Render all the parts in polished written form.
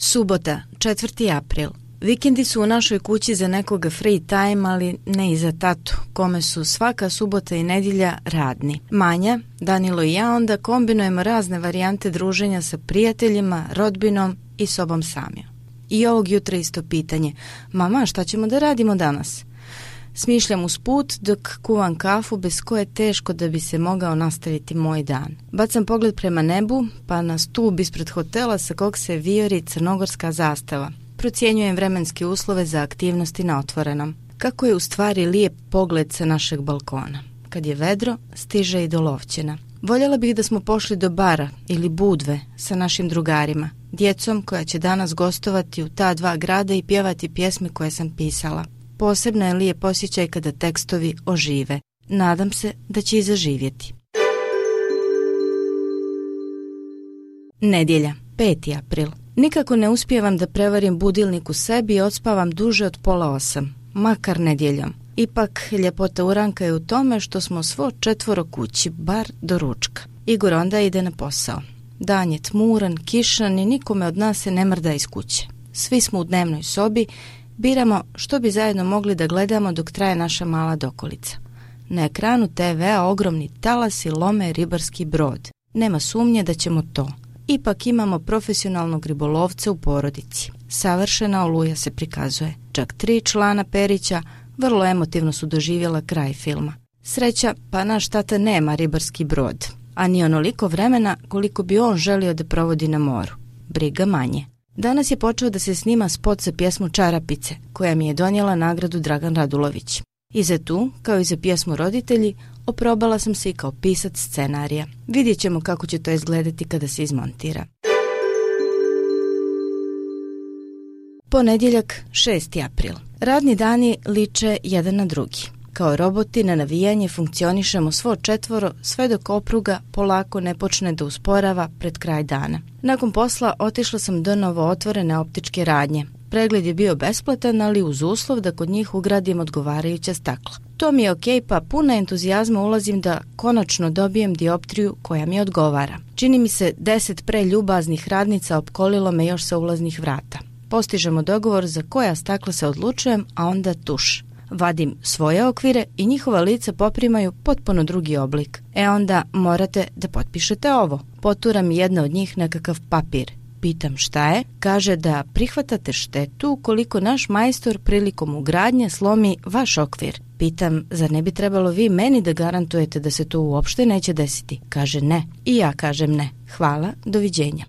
Subota, 4. april. Vikendi su u našoj kući za nekoga free time, ali ne i za tatu, kome su svaka subota i nedjelja radni. Manja, Danilo i ja onda kombinujemo razne varijante druženja sa prijateljima, rodbinom i sobom samim. I ovog jutra isto pitanje: mama, šta ćemo da radimo danas? Smišljam usput dok kuvam kafu bez koje je teško da bi se mogao nastaviti moj dan. Bacam pogled prema nebu, pa na stub ispred hotela sa kog se vijori crnogorska zastava. Procjenjujem vremenske uslove za aktivnosti na otvorenom. Kako je u stvari lijep pogled sa našeg balkona. Kad je vedro, stiže i do Lovćena. Voljela bih da smo pošli do bara ili Budve sa našim drugarima, djecom koja će danas gostovati u ta dva grada i pjevati pjesme koje sam pisala. Posebno je lijep osjećaj kada tekstovi ožive. Nadam se da će i zaživjeti. Nedjelja, 5. april. Nikako ne uspijevam da prevarim budilnik u sebi i odspavam duže od 7:30, makar nedjeljom. Ipak, ljepota uranka je u tome što smo svo 4 kući, bar do ručka. Igor onda ide na posao. Dan je tmuran, kišan i nikome od nas se ne mrda iz kuće. Svi smo u dnevnoj sobi, biramo što bi zajedno mogli da gledamo dok traje naša mala dokolica. Na ekranu TV-a ogromni talasi lome ribarski brod. Nema sumnje da ćemo to. Ipak imamo profesionalnog ribolovca u porodici. Savršena oluja se prikazuje. Čak 3 člana Perića vrlo emotivno su doživjela kraj filma. Sreća, pa naš tata nema ribarski brod, a ni onoliko vremena koliko bi on želio da provodi na moru. Briga manje. Danas je počeo da se snima spot za pjesmu Čarapice, koja mi je donijela nagradu Dragan Radulović. I za tu, kao i za pjesmu Roditelji, oprobala sam se i kao pisac scenarija. Vidjet ćemo kako će to izgledati kada se izmontira. Ponedjeljak, 6. april. Radni dani liče jedan na drugi. Kao roboti na navijanje funkcionišemo svo 4 sve dok opruga polako ne počne da usporava pred kraj dana. Nakon posla otišla sam do novo otvorene optičke radnje. Pregled je bio besplatan, ali uz uslov da kod njih ugradim odgovarajuća stakla. To mi je okej, pa puna entuzijazma ulazim da konačno dobijem dioptriju koja mi odgovara. Čini mi se 10 preljubaznih radnica opkolilo me još sa ulaznih vrata. Postižemo dogovor za koja stakla se odlučujem, a onda tuš. Vadim svoje okvire i njihova lica poprimaju potpuno drugi oblik. Onda morate da potpišete ovo. Potura mi jedna od njih nekakav papir. Pitam šta je, kaže da prihvatate štetu ukoliko naš majstor prilikom ugradnje slomi vaš okvir. Pitam, zar ne bi trebalo vi meni da garantujete da se to uopšte neće desiti? Kaže ne. I ja kažem ne. Hvala, doviđenja.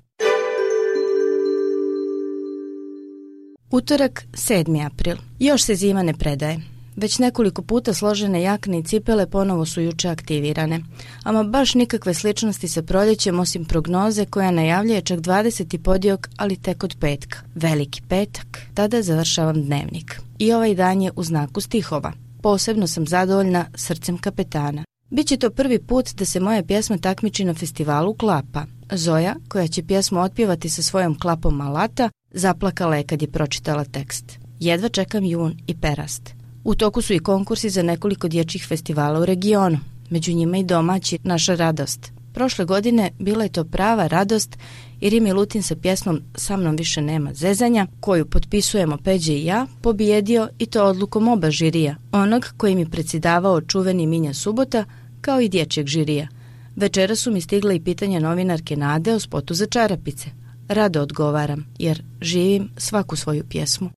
Utorak, 7. april. Još se zima ne predaje. Već nekoliko puta složene jakne i cipele ponovo su juče aktivirane. Ama baš nikakve sličnosti sa proljećem osim prognoze koja najavljuje čak 20. podiok, ali tek od petka. Veliki petak, tada završavam dnevnik. I ovaj dan je u znaku stihova. Posebno sam zadovoljna srcem kapetana. Biće to prvi put da se moja pjesma takmiči na festivalu klapa. Zoja, koja će pjesmu otpjevati sa svojom klapom alata, zaplakala je kad je pročitala tekst. Jedva čekam jun i perast. U toku su i konkursi za nekoliko dječjih festivala u regionu, među njima i domaći Naša radost. Prošle godine bila je to prava radost i Rimi Lutin sa pjesmom Sa mnom više nema zezanja, koju potpisujemo Peđe i ja, pobijedio i to odlukom oba žirija, onog koji mi predsjedavao čuveni Minja Subota, kao i dječjeg žirija. Večera su mi stigla i pitanja novinarke Nade o spotu za Čarapice. Rado odgovaram, jer živim svaku svoju pjesmu.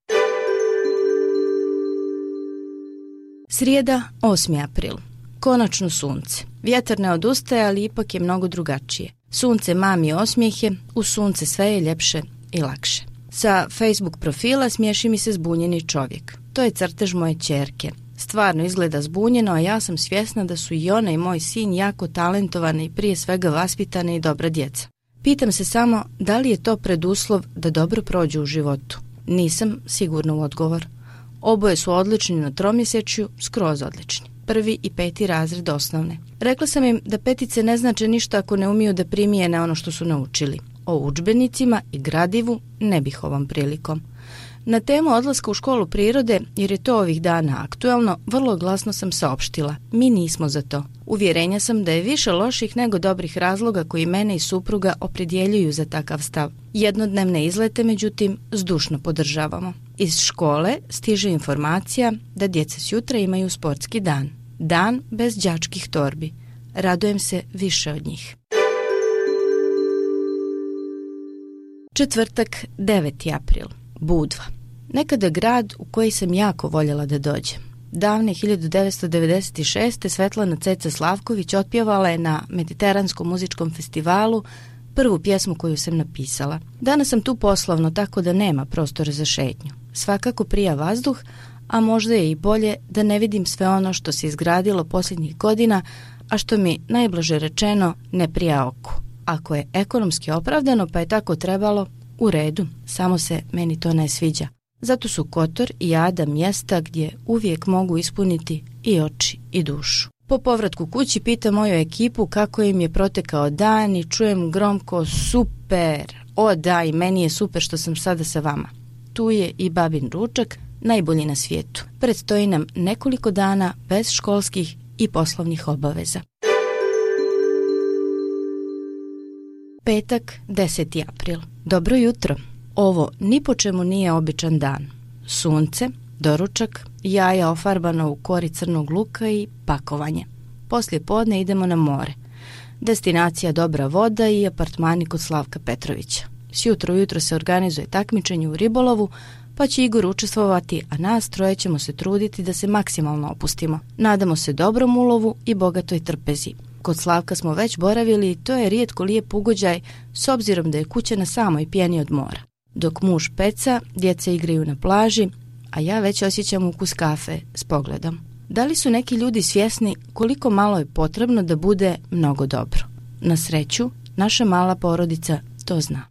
Srijeda, 8. april. Konačno sunce. Vjetar ne odustaje, ali ipak je mnogo drugačije. Sunce mami osmijehe, u sunce sve je ljepše i lakše. Sa Facebook profila smiješi mi se zbunjeni čovjek. To je crtež moje ćerke. Stvarno izgleda zbunjeno, a ja sam svjesna da su i ona i moj sin jako talentovane i prije svega vaspitane i dobra djeca. Pitam se samo da li je to preduslov da dobro prođu u životu. Nisam sigurna u odgovor. Oboje su odlični na tromjesečju, skroz odlični. 1. i 5. razred osnovne. Rekla sam im da petice ne znače ništa ako ne umiju da primijene ono što su naučili. O udžbenicima i gradivu ne bih ovom prilikom. Na temu odlaska u školu prirode, jer je to ovih dana aktuelno, vrlo glasno sam saopštila. Mi nismo za to. Uvjerenja sam da je više loših nego dobrih razloga koji mene i supruga opredjeljuju za takav stav. Jednodnevne izlete, međutim, zdušno podržavamo. Iz škole stiže informacija da djeca s jutra imaju sportski dan. Dan bez đačkih torbi. Radujem se više od njih. Četvrtak, 9. april. Budva. Nekada grad u koji sam jako voljela da dođem. Davne 1996. Svetlana Ceca Slavković otpjevala je na Mediteranskom muzičkom festivalu prvu pjesmu koju sam napisala. Danas sam tu poslovno, tako da nema prostora za šetnju. Svakako prija vazduh, a možda je i bolje da ne vidim sve ono što se izgradilo posljednjih godina, a što mi, najblaže rečeno, ne prija oku. Ako je ekonomski opravdano pa je tako trebalo, u redu, samo se meni to ne sviđa. Zato su Kotor i Ada mjesta gdje uvijek mogu ispuniti i oči i dušu. Po povratku kući pitam moju ekipu kako im je protekao dan i čujem gromko super. O da, i meni je super što sam sada sa vama. Tu je i babin ručak, najbolji na svijetu. Predstoji nam nekoliko dana bez školskih i poslovnih obaveza. Petak, 10. april. Dobro jutro. Ovo ni po čemu nije običan dan. Sunce, doručak, jaja ofarbano u kori crnog luka i pakovanje. Poslije podne idemo na more. Destinacija dobra voda i apartmani kod Slavka Petrovića. Sjutro ujutro se organizuje takmičenje u ribolovu, pa će Igor učestvovati, a nas troje ćemo se truditi da se maksimalno opustimo. Nadamo se dobrom ulovu i bogatoj trpezi. Kod Slavka smo već boravili i to je rijetko lijep ugođaj s obzirom da je kuća na samoj pjeni od mora. Dok muž peca, djeca igraju na plaži, a ja već osjećam ukus kafe s pogledom. Da li su neki ljudi svjesni koliko malo je potrebno da bude mnogo dobro? Na sreću, naša mala porodica to zna.